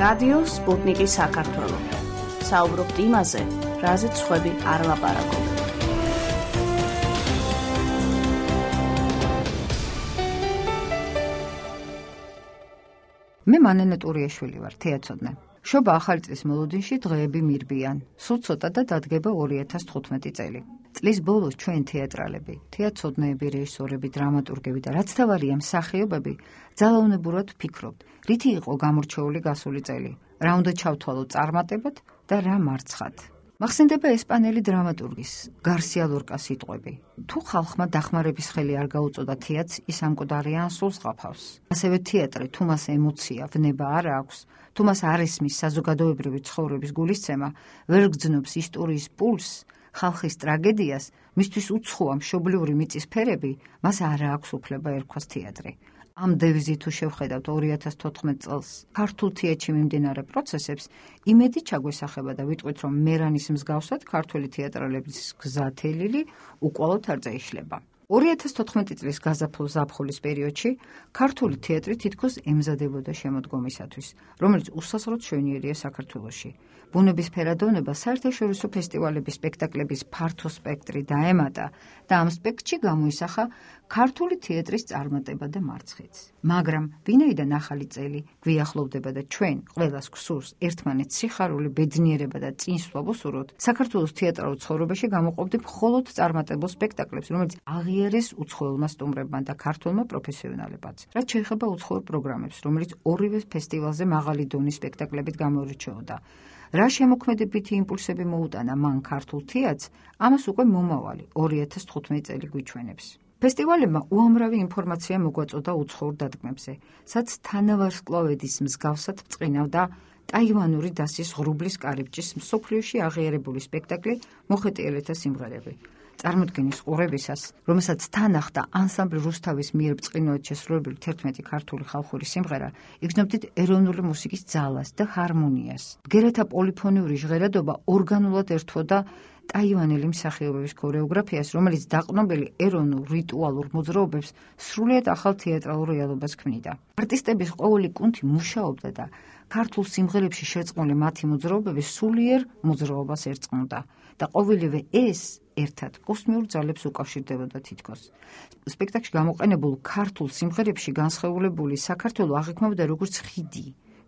რადიო სპუტნიკი საქართველო. საუბრობთ იმაზე, რაზეც სხვები არ ლაპარაკობენ. მე მანენა ტურიაშვილი ვარ, თეატროდნე. შობა ახალი წლის მოლოდინში დღეები მირბიან. სულ ცოტა და დადგება 2015 წელი. წლის ბოლოს ჩვენ თეატრალები, თეატროდნეები, რეჟისორები, დრამატურგები და რაც თავარია მსახიობები ძალაუნებურად ვფიქრობთ, რითი იყო გამორჩეული გასული წელი, რა უნდა ჩავთვალოთ წარმატებად და რა მარცხად. მახსენდება ესპანელი დრამატურგის გარსია ლორკას სიტყვები. თუ ხალხმა დახმარების ხელი არ გაუწოდა თეატრს, ის ამკვდარია ან სულს ყაფავს. ასევე თეატრი თუ მას ემოცია, ვნება არ აქვს, თუ მას არ ესმის საზოგადოებრივი ცხოვრების გულისცემა, ვერ გძნობს ისტორიის პულსს, ხალხის ტრაგედიას, მისთვის უცხოა მშობლიური მიწის ფერები, მას არ აქვს უფლება ერქვას თეატრი. ამ დევიზით თუ შევხედავთ 2014 წელს ქართულ თეატრში მიმდინარე პროცესებს, იმედი ჩაგვესახება და ვიტყვით, რომ მერანის მსგავსად ქართული თეატრალების გზა თელილი უკვალოდ არ წაიშლება. 2014 წლის გაზაფხულ ზაფხულის პერიოდში ქართული თეატრი თითქოს ემზადებოდა შემოდგომისათვის, რომელიც უსასრულოდ შვენიერია საქართველოში. ბუნების ფერადოვნება საერთაშორისო ფესტივალების სპექტაკლების ფართო სპექტრი დაემატა და ამ სპექტრში გამოისახა ქართული თეატრის წარმატება და მარცხიც. მაგრამ ვინაიდან ახალი წელი გვიახლოვდება და ჩვენ ყველას გვსურს ერთმანეთს სიხარული, ბედნიერება და წინსვლა ვუსურვოთ, საქართველოს თეატრალურ ცხოვრებაში გამოყოფდით მხოლოდ წარმატებულ სპექტაკლებს, რომელიც აღიარეს უცხოელმა სტუმრებმა და ქართველმა პროფესიონალებმაც. რაც შეეხება უცხოელ პროგრამებს, რომელიც ორივე ფესტივალზე მაღალი დონის სპექტაკლებით გამოირჩეოდა. რა შემოქმედებითი იმპულსები მოუტანა მან ქართულ თეატრს, ამას უკვე მომავალი 2015 წელი გვიჩვენებს. ფესტივალებმა უამრავი ინფორმაცია მოგვაწოდა უცხოურ დადგმებზე, სადაც თანავარსკვლავედის მსგავსად ბრწყინავდა ტაივანური დასის ღრუბლის კარიბჭის მსოფლიოში აღიარებული სპექტაკლი მოხეტიალეთა სიმღერები. წარმოდგენის ყურებისას, რომელსაც თან ახლდა ანსამბლ რუსთავის მიერ ბრწყინვალედ შესრულებული 11 ქართული ხალხური სიმღერა, იგრძნობდით ეროვნული მუსიკის ძალას და ჰარმონიას. ბგერათა პოლიფონიური ჟღერადობა ორგანულად ერთვოდა ტაივანელი მსახიობების ქორეოგრაფიას, რომელიც დაყრდნობილი ეროვნულ რიტუალურ მოძრაობებს სრულიად ახალ თეატრალურ რეალობას ქმნიდა. არტისტების ყოველი კუნთი მუშაობდა და ქართულ სიმღერებში შერწყმული მათი მოძრაობები სულიერ მოძრაობას ერწყმოდა და ყოველივე ეს ერთად კოსმიურ ძალებს უკავშირდებოდა თითქოს. სპექტაკლში გამოყენებულ ქართულ სიმღერებში განსხეულებული საქართველო აღიქმებოდა როგორც ხიდი,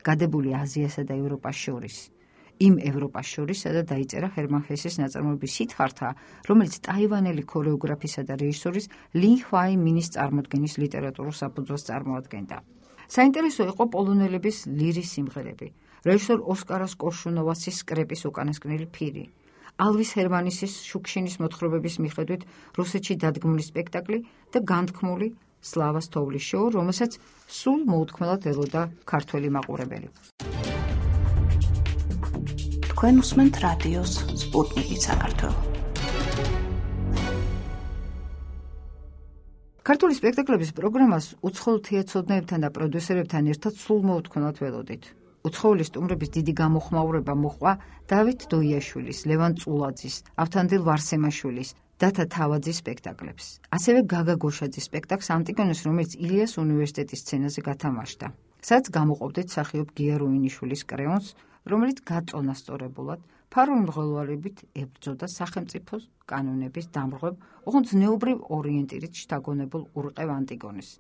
გადებული აზიასა და ევროპას შორის. იმ ევროპას შორის, სადაც დაიწერა ჰერმან ჰესის ნაწარმოების სითხართა, რომელიც ტაივანელი ქორეოგრაფისა და რეჟისორის ლინ ხვაი მინის წარმოდგენის ლიტერატურულ საფუძველს წარმოადგენდა. საინტერესო იყო პოლონელების ლირის სიმღერები, რეჟისორ ოსკარას კორშუნოვასის სკრეპის უკანასკნელი ფირი, ალვის ჰერმანისის შუქშინის მოთხრობების მიხედვით რუსეთში დადგმული სპექტაკლი და განთქმული სლავას თოვლის შოუ, რომელსაც სულ მოუთქმელად ელოდა ქართველი მაყურებელი. თქვენ უსმენთ რადიოს სპუტნიკი საქართველო. ქართული სპექტაკლების პროგრამას უცხოელ თეატროდნეებთან და პროდიუსერებთან ერთად სულ მოუთქმელად ველოდით. უცხოელი სტუმრების დიდი გამოხმაურება მოჰყვა დავით დოიაშვილის, ლევან წულაძის, ავთანდილ ვარსემაშვილის, დათა თავაძის სპექტაკლებს. ასევე გაგა გოშაძის სპექტაკლს ანტიგონეს, რომელიც ილიას უნივერსიტეტის სცენაზე გათამაშდა. სადაც გამოყოფდით მსახიობ გია რუინიშვილის კრეონს, რომელიც გაწონასწორებულად ფარული მღელვარებით ებრძოდა სახელმწიფოს კანონების დამრღვევ, ოღონდ ზნეობრივ ორიენტირით შთაგონებულ ურყევ ანტიგონეს.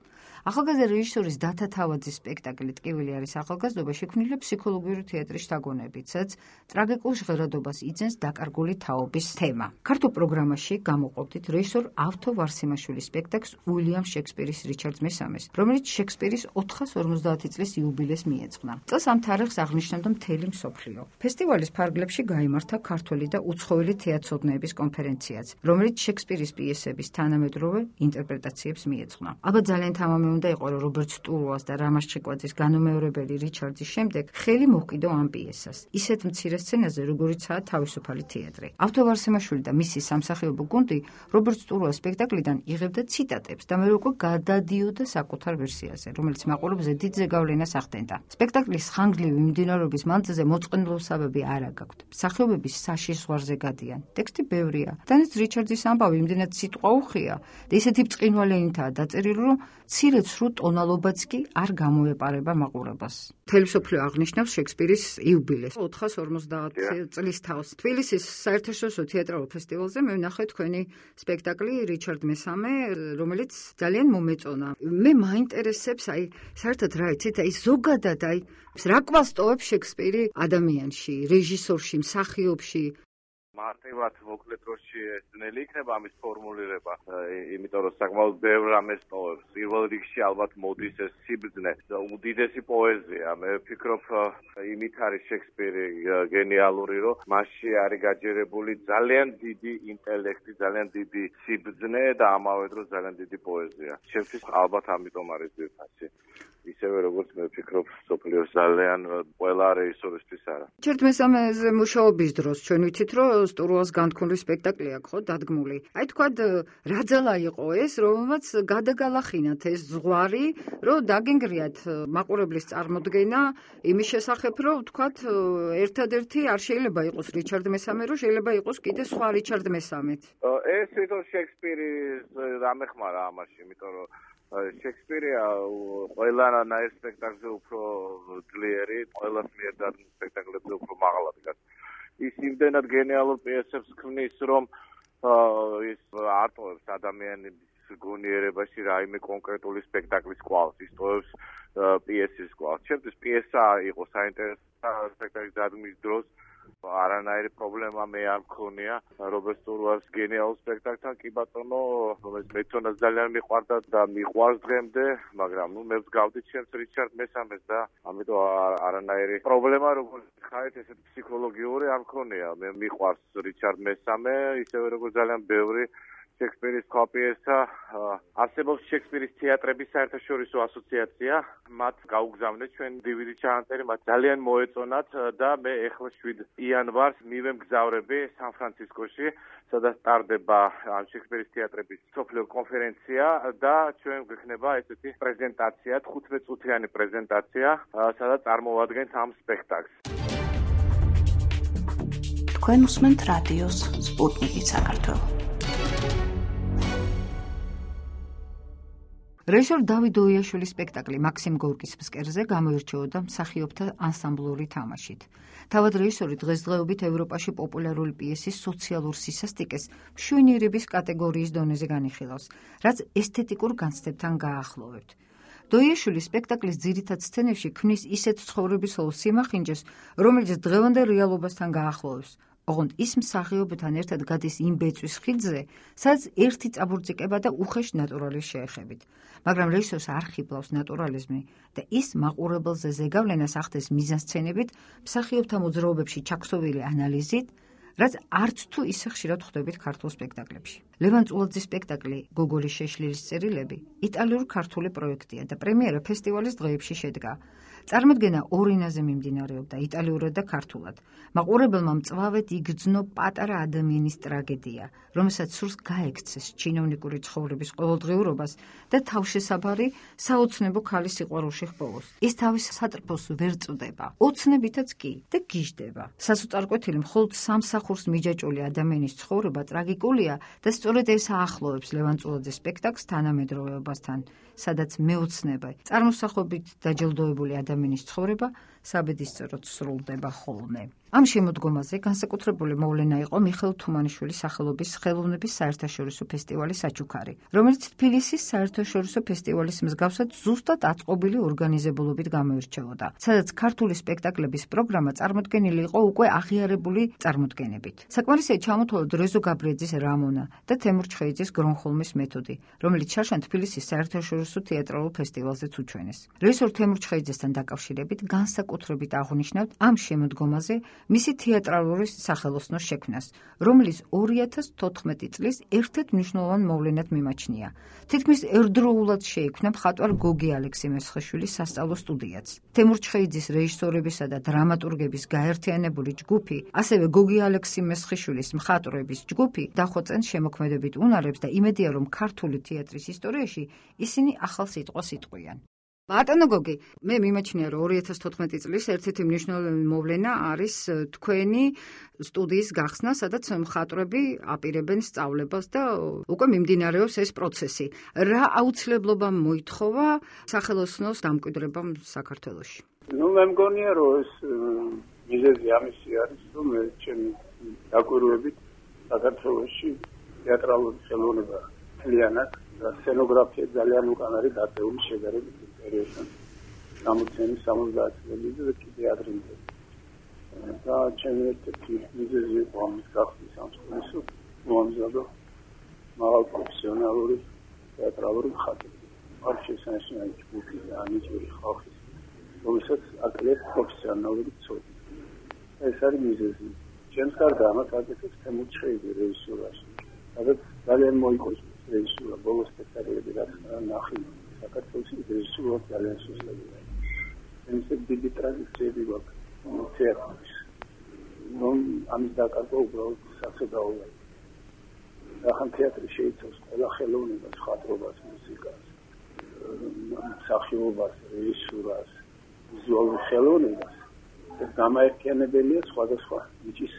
ახალგაზრდა რეჟისორის დათა თავაძის სპექტაკლი „ტკივილი არის ახალგაზრდობა“ შექმნილია ფსიქოლოგიური თეატრის შთაგონებით, სადაც ტრაგიკულ ჟღერადობას იძენს დაკარგული თაობის თემა. ქართულ პროგრამაში გამოყოფდით რეჟისორ ავთო ვარსემაშვილის სპექტაკლს უილიამ შექსპირის რიჩარდ მესამეს, რომელიც შექსპირის 450 წლის იუბილეს მიეძღვნა. წელს ამ თარიღს აღნიშნავდა მთელი მსოფლიო. ფესტივალის ფარგლებში გაიმართა ქართველი და უცხოელი თეატროდნეების კონფერენციაც, რომელიც შექსპირის პიესების თანამედროვე ინტერპრეტაციებს მიეძღვნა. ალბათ ძალიან თამამი უნდა იყო, რომ რობერტ სტურუას და რამაზ ჩიკვაძის განუმეორებელი რიჩარდის შემდეგ ხელი მოჰკიდო ამ პიესას, ისეთ მცირე სცენაზე, როგორიცაა თავისუფალი თეატრი. ავთო ვარსემაშვილი და მისი სამსახიობო გუნდი რობერტ სტურუას სპექტაკლიდან იღებდა ციტატებს და მერე უკვე გადადიოდა საკუთარ ვერსიაზე, რომელიც მაყურებლებზე დიდ ზეგავლენას ახდენდა. სპექტაკლის ხანგრძლივი მიმდინარეობის მანძილზე მოწყენილობისაბები არა გაქვთ. მსახიობები საშის ზღვარზე გადიან. ტექსტი ბევრია, დანიც რიჩარდის ამბავი იმდენად სიტყვა უხია და ისეთი ბრწყინვალენითაა დაწერილი, რომ მცირე ცრუ ტონალობაც კი არ გამოეპარება მაყურებას. მთელი მსოფლიო აღნიშნავს შექსპირის იუბილეს 450 წლის თავს. თბილისის საერთაშორისო თეატრალურ ფესტივალზე მე ვნახე თქვენი სპექტაკლი რიჩარდ მესამე, რომელიც ძალიან მომეწონა. მე მაინტერესებს საერთოდ რა იცით, ზოგადად რა კვალს შექსპირი ადამიანში, რეჟისორში, მსახიობში. მარტივად მოკლე დროში ძნელი იქნება ამის ფორმულირება, იმიტომ რომ საკმაოდ ბევრ რამეს ტოვებს. პირველ რიგში ალბათ მოდის ეს სიბრძნე, უდიდესი პოეზია. მე ვფიქრობ, იმით არის შექსპირი გენიალური, რომ მასში არის გაჯერებული ძალიან დიდი ინტელექტი, ძალიან დიდი სიბრძნე და ამავე დროს ძალიან დიდი პოეზია. ჩემთვის ალბათ ამიტომ არის ძირფასი. ისევე როგორც მე ვფიქრობ, სოფლიოს ძალიან ყველა რეჟისორისთვის არა. რიჩარდ მესამეზე მუშაობის დროს ჩვენ ვიცით, რომ სტურუას განთქმული სპექტაკლი აქვს ხო დადგმული. თქვათ რა ძალა იყო ეს, რომელმაც გადაგალახინათ ეს ზღვარი, რომ დაგენგრიათ მაყურებლის წარმოდგენა იმის შესახებ, რომ თქვათ ერთადერთი არ შეიძლება იყოს რიჩარდ მესამე, რომ შეიძლება იყოს კიდე სხვა რიჩარდ მესამეც. ეს თვითონ შექსპირის დამეხმარა ამაში, იმიტომ რომ შექსპირია ყველანაირ სპექტაკლზე უფრო ძლიერი, ყველას მიერ დადგმულ სპექტაკლებზე უფრო მაღლა დგას. ის იმდენად გენიალურ პიესებს ქმნის, რომ ის არ ტოვებს ადამიანების გონიერებაში რაიმე კონკრეტული სპექტაკლის კვალს, ის ტოვებს პიესის კვალს. ჩემთვის პიესა იყო საინტერესო სპექტაკლის დადგმის დროს. არანაირი პრობლემა მე არ მქონია რობერტ სტურუას გენიალურ სპექტაკლთან, კი ბატონო, რომელიც მეცონას ძალიან მიყვარდა და მიყვარს დღემდე, მაგრამ მე ვსგავდი ჩემს რიჩარდ მესამეს და ამიტომ არანაირი პრობლემა როგორც ხარით ესეთ ფსიქოლოგიური არ მქონია. მე მიყვარს რიჩარდ მესამე, ისევე როგორც ძალიან ბევრი შექსპირის სხვა პიესა. არსებობს შექსპირის თეატრების საერთაშორისო ასოციაცია, მათ გაუგზავნეთ ჩვენ DVD ჩანაწერი, მათ ძალიან მოეწონათ და მე ეხლა 7 იანვარს მივემგზავრები სან-ფრანცისკოში, სადაც ტარდება შექსპირის თეატრების მსოფლიო კონფერენცია და ჩვენ გვექნება ესეთი პრეზენტაცია, 15 წუთიანი პრეზენტაცია, სადაც წარმოვადგენთ ამ სპექტაკლს. თქვენ უსმენთ რადიოს სპუტნიკი საქართველო. რეჟისორ დავით დოიაშვილის სპექტაკლი მაქსიმ გორკის ფსკერზე გამოირჩეოდა მსახიობთა ანსამბლური თამაშით. თავად რეჟისორი დღესდღეობით ევროპაში პოპულარული პიესის სოციალურ სისასტიკეს მშვენიერების კატეგორიის დონეზე განიხილავს, რაც ესთეტიკურ განცდებთან გააახლოვებთ. დოიაშვილის სპექტაკლის ძირითად სცენებში ქმნის ისეთ ცხოვრებისეულ სიმახინჯეს, რომელიც დღევანდელ რეალობასთან გაახლოვებს. ოღონდ ის მსახიობთან ერთად გადის იმ ბეწვის ხიდზე, სადაც ერთი წაბურძიკება და უხეშ ნატურალის შეეხებით. მაგრამ რეჟისორს არ ხიბლავს ნატურალიზმი და ის მაყურებელზე ზეგავლენას ახდენს მიზანსცენებით, მსახიობთა მოძრაობებში ჩაქსოვილი ანალიზით, რაც არც თუ ისე ხშირად ხვდებით ქართულ სპექტაკლებში. ლევან წულაძის სპექტაკლი გოგოლის შეშლილის წერილები იტალიურ-ქართული პროექტია და პრემიერა ფესტივალის დღეებში შედგა. წარმოდგენა ორ ენაზე მიმდინარეობდა, იტალიურად და ქართულად. მაყურებელმა მწვავედ იგრძნო პატარა ადამიანის ტრაგედია, რომელსაც სურს გაექცეს ჩინოვნიკური ცხოვრების ყოველდღიურობას და თავშესაფარი საოცნებო ქალის სიყვარულში ჰპოვოს. ის თავის სატრფოს ვერ წვდება, ოცნებითაც კი და გიждდება. სასოწარკვეთილი მხოლოდ სამსახურს მიჯაჭვული ადამიანის ცხოვრება ტრაგიკულია და სწორედ ეს აახლოვებს ლევან წულაძის სპექტაკლს თანამედროვეობასთან, სადაც მეოცნება, წარმოსახობით დაჯილდოებული ადამიანის ცხოვრება საბედისწეროდ სრულდება ხოლმე. ამ შემოდგომაზე განსაკუთრებული მოვლენა იყო მიხეილ თუმანიშვილის სახელობის ხელოვნების საერთაშორისო ფესტივალის საჩუქარი, რომელიც თბილისის საერთაშორისო ფესტივალის მსგავსად ზუსტად აწყობილი ორგანიზებულობით გამოირჩეოდა, სადაც ქართული სპექტაკლების პროგრამა წარმოდგენილი იყო უკვე აღიარებული წარმოდგენებით. საკმარისია ჩამოთვალოთ რეზო გაბრიაძის რამონა და თემურ ჩხეიძის გრონჰოლმის მეთოდი, რომელიც შარშან თბილისის საერთაშორისო თეატრალურ ფესტივალზეც უჩვენეს. რეჟისორ თემურ ჩხეიძესთან დაკავშირებით განსაკუთრებით აღვნიშნავთ ამ შემოდგომაზე მისი თეატრალური სახელოსნოს შექმნას, რომელიც 2014 წლის ერთ-ერთ მნიშვნელოვან მოვლენად მიმაჩნია. თითქმის ერთდროულად შეიქმნა მხატვარ გოგი ალექსი-მესხიშვილის სასწავლო სტუდიაც. თემურ ჩხეიძის რეჟისორებისა და დრამატურგების გაერთიანებული ჯგუფი, ასევე გოგი ალექსი-მესხიშვილის მხატვრების ჯგუფი დახვეწენ შემოქმედებით უნარებს და იმედია, რომ ქართული თეატრის ისტორიაში ისინი ახალ სიტყვას იტყვიან. ბატონო გოგი, მე მიმაჩნია, რომ 2014 წლის ერთ-ერთი მნიშვნელოვანი მოვლენა არის თქვენი სტუდიის გახსნა, სადაც მხატვრები აპირებენ სწავლებას და უკვე მიმდინარეობს ეს პროცესი. რა აუცილებლობა მოითხოვა სახელოსნოს დამკვიდრებამ საქართველოში? მე მგონია, რომ ეს მიზეზი ამისი არის, რომ ჩემი დაკვირვებით საქართველოში თეატრალური ხელოვნება მთლიანად და სცენოგრაფია ძალიან უკან არის დაწეული შედარებით პერიოდთან 60-70 წლების და კიდე ადრინდელი. და ჩემი ერთ-ერთი მიზეზი იყო ამის გახსნის ამ სკოლის მოამზადო მაღალ პროფესიონალური თეატრალური მხატვარი. არ შესანიშნავი ჯგუფი და ანიჭური ხალხის, რომელსაც აკლებს პროფესიონალური ცოდნა. ეს არის მიზეზი. ჩემს გარდა ამას აკეთებს თემურჩხეიძე რეჟისურაში. სადაც ძალიან მოიყოს რეჟისურა, ბოლოს სპექტაკლები რაც ნახე საქართველოში რეჟისურა ძალიან სუსტია. ეს დიდი ტრადიციები გვაქვს თეატრში. ამის დაკარგვა უბრალოდ სასწაულია. ახლა თეატრი შეიცავს ყველა ხელოვნებას, მხატვრობას, მუსიკას, მსახიობობას, რეჟისურას, ვიზუალურ ხელოვნებას. ეს გამაერთიანებელია სხვადასხვა ნიჭის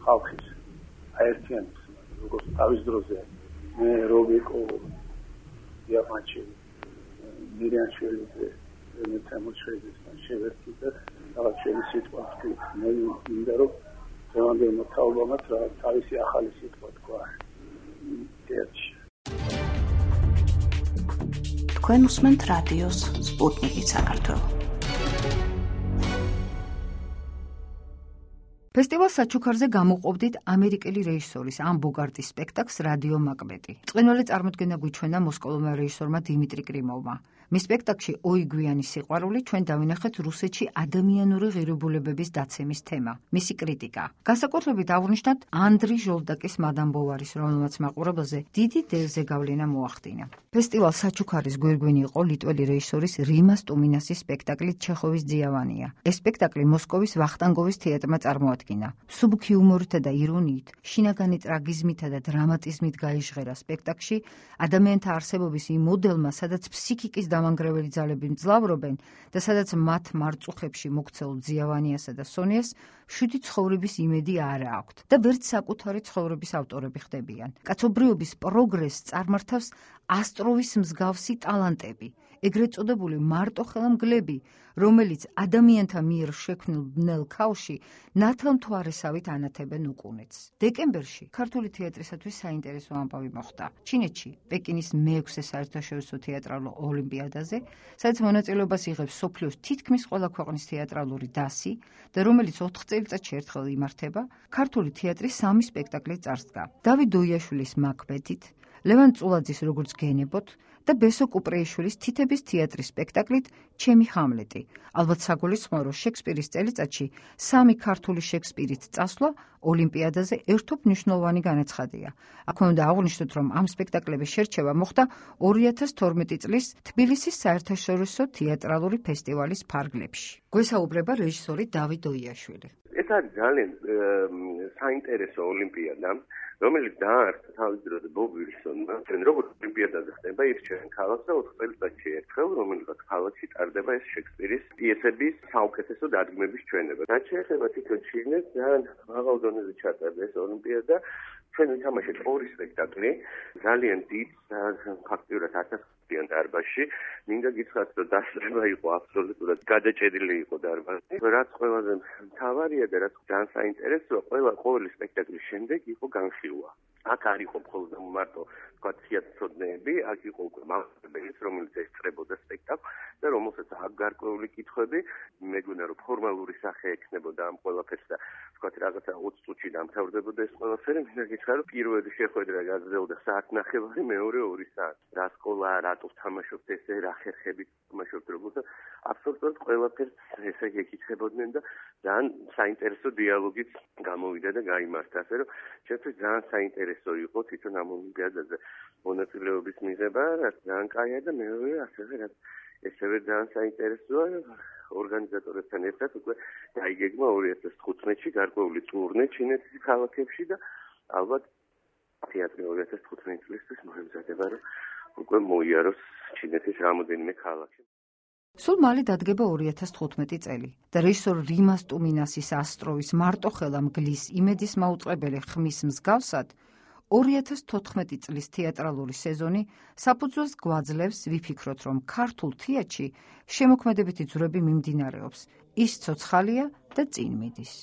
ხალხის აერთიანებს, როგორც თავის დროზე მე რობიკო დიამანჩევი მირიანშვილი მე თემურჩხეიძესთან შევერთდი და რაღაც შენი სიტყვა ვთქვით. მე მინდა რომ დღევანდელ თაობამაც რა თავისი ახალი სიტყვა თქვა თეატრში. თქვენ უსმენთ რადიოს სპუტნიკი საქართველო. ფესტივალ საჩუქარზე გამოყოფდით ამერიკელი რეჟისორის ან ბოგარტის სპექტაკლს რადიო მაკბეტი. წყინვალე წარმოდგენა გვიჩვენა მოსკოვმა რეჟისორმა დიმიტრი კრიმოვმა. მის სპექტაკლში ოიგვიანი სიყვარული ჩვენ დავინახეთ რუსეთში ადამიანური ღირებულებების დაცემის თემა, მისი კრიტიკა. განსაკუთრებით აღვნიშნათ ანდრი ჟოლდაკის მადამ ბოვარის, რომელმაც მაყურებელზე დიდი ზეგავლენა მოახდინა. ფესტივალ საჩუქარის გვირგვინი იყო ლიტველი რეჟისორის რიმას ტუმინასის სპექტაკლი ჩეხოვის ძიავანია. ეს სპექტაკლი მოსკოვის ვახტანგოვის თეატრმა წარმოადგინა. მსუბუქი იუმორითა და ირონიით, შინაგანი ტრაგიზმითა და დრამატიზმით გაიჟღერა სპექტაკლში ადამიანთა არსებობის იმ მოდელმა, სადაც ფსიქიკის დამანგრეველი ძალები მძლავრობენ და სადაც მათ მარწუხებში მოქცეულ ძიავანიასა და სონიას შვიდი ცხოვრების იმედი არ აქვთ და ვერც საკუთარი ცხოვრების ავტორები ხდებიან. კაცობრიობის პროგრესს წარმართავს ასტროვის მსგავსი ტალანტები, ეგრეთ წოდებული მარტოხელა რომელიც ადამიანთა მიერ შექმნილ ბნელ ქაოსში ნათელმთვარესავით ანათებენ უკუნეთს. დეკემბერში ქართული თეატრისათვის საინტერესო ამბავი მოხდა. ჩინეთში, პეკინის მე-6 საერთაშორისო თეატრალურ ოლიმპიადაზე, სადაც მონაწილეობას იღებს მსოფლიოს თითქმის ყველა ქვეყნის თეატრალური დასი და რომელიც 4 წელიწადში ერთხელ იმართება, ქართული თეატრი 3 სპექტაკლით წარსდგა. დავით დოიაშვილის მაკბეთით, ლევან წულაძის როგორც გენებოთ და ბესო კუპრეიშვილის თითების თეატრის სპექტაკლით ჩემი ჰამლეტი. ალბათ საგულისხმოა, რომ შექსპირის წელიწადში 3 ქართული შექსპირით წასვლა ოლიმპიადაზე ერთობ მნიშვნელოვანი განაცხადია. აქვე უნდა აღვნიშნოთ, რომ ამ სპექტაკლების შერჩევა მოხდა 2012 წლის თბილისის საერთაშორისო თეატრალური ფესტივალის ფარგლებში. გვესაუბრება რეჟისორი დავით დოიაშვილი. ეს არის ძალიან საინტერესო ოლიმპიადა, რომელიც დაარსდა თავის დროზე ბობ ვილსონმა. როგორც ოლიმპიადაზე ხდება ირჩევენ ქალაქს და 4 წელიწადში ერთხელ, რომელიღაც ქალაქში ტარდება ეს შექსპირის პიესების საუკეთესო დადგმების ჩვენება. რაც შეეხება თვითონ ჩინეთს, ძალიან მაღალ დონეზე ჩატარდა ეს ოლიმპიადა. ჩვენ ვითამაშეთ 2 სპექტაკლი, ძალიან დიდ ფაქტიურად 1000-იან დარბაზში. მინდა გითხრათ, რომ დასწრება იყო აბსოლუტურად გადაჭედილი იყო დარბაზი. რაც ყველაზე მთავარია და რაც ძალიან საინტერესოა, ყოველი სპექტაკლის შემდეგ იყო განხილვა. აქ არ იყო მხოლოდ მარტო თქვა თეატროდნები, აქ იყო უკვე მასწავლებელი, რომელიც ესწრებოდა სპექტაკლს და რომელსაც აქ გარკვეული კითხვები, მეგონა რომ ფორმალური სახე ექნებოდა ამ ყველაფერს და თქვა რაღაცა 20 წუთში დამთავრდებოდა ეს ყველაფერი. მინდა გითხრა, რომ პირველი შეხვედრა გაგრძელდა საათნახევარი, მეორე 2 საათი. რა სკოლა, რატო თამაშობთ ესე, რა ხერხებით თამაშობთ, როგორც აბსოლუტურად ყველაფერს ესე ეკითხებოდნენ და ძალიან საინტერესო დიალოგიც გამოვიდა და გაიმართა, ასე რომ ჩემთვის ძალიან საინტერესო იყო თვითონ ამ ოლიმპიადაზე მონაწილეობის მიღება, რაც ძალიან კაია და მეორე ასევე რაც ესევე ძალიან საინტერესოა ორგანიზატორებთან ერთად უკვე დაიგეგმა 2015-ში გარკვეული ტურნე ჩინეთის ქალაქებში და ალბათ თეატრი 2015 წლისთვის მოემზადება, რომ უკვე მოიაროს ჩინეთის რამოდენიმე ქალაქში. სულ მალე დადგება 2015 წელი და რეჟისორ რიმას ტუმინასის ასტროვის მარტოხელა მგლის იმედის მაუწყებელი ხმის მსგავსად 2014 წლის თეატრალური სეზონი საფუძველს გვაძლევს ვიფიქროთ, რომ ქართულ თეატრში შემოქმედებითი ძვრები მიმდინარეობს, ის ცოცხალია და წინ მიდის.